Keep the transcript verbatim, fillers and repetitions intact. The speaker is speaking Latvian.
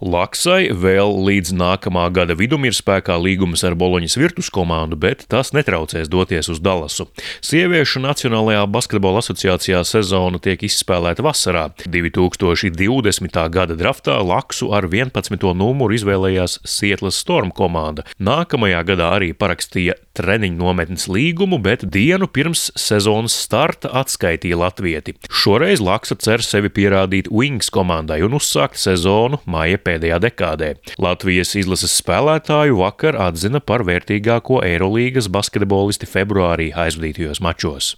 Laksai vēl līdz nākamā gada vidum ir spēkā līgums ar Boloņas Virtus komandu, bet tas netraucēs doties uz Dallasu. Sieviešu Nacionālajā basketbola asociācijā sezona tiek izspēlēta vasarā. divi tūkstoši divdesmitā gada draftā Laksu ar vienpadsmito numuru izvēlējās Sietlas Storm komanda. Nākamajā gadā arī parakstīja treniņu nometnes līgumu, bet dienu pirms sezonas starta atskaitīja latvieti. Šoreiz Laksa cer sevi pierādīt Wings komandai un uzsākt sezonu māja pēdējā dekādē. Latvijas izlases spēlētāju vakar atzina par vērtīgāko Eirolīgas basketbolisti februārī aizvadītajos mačos.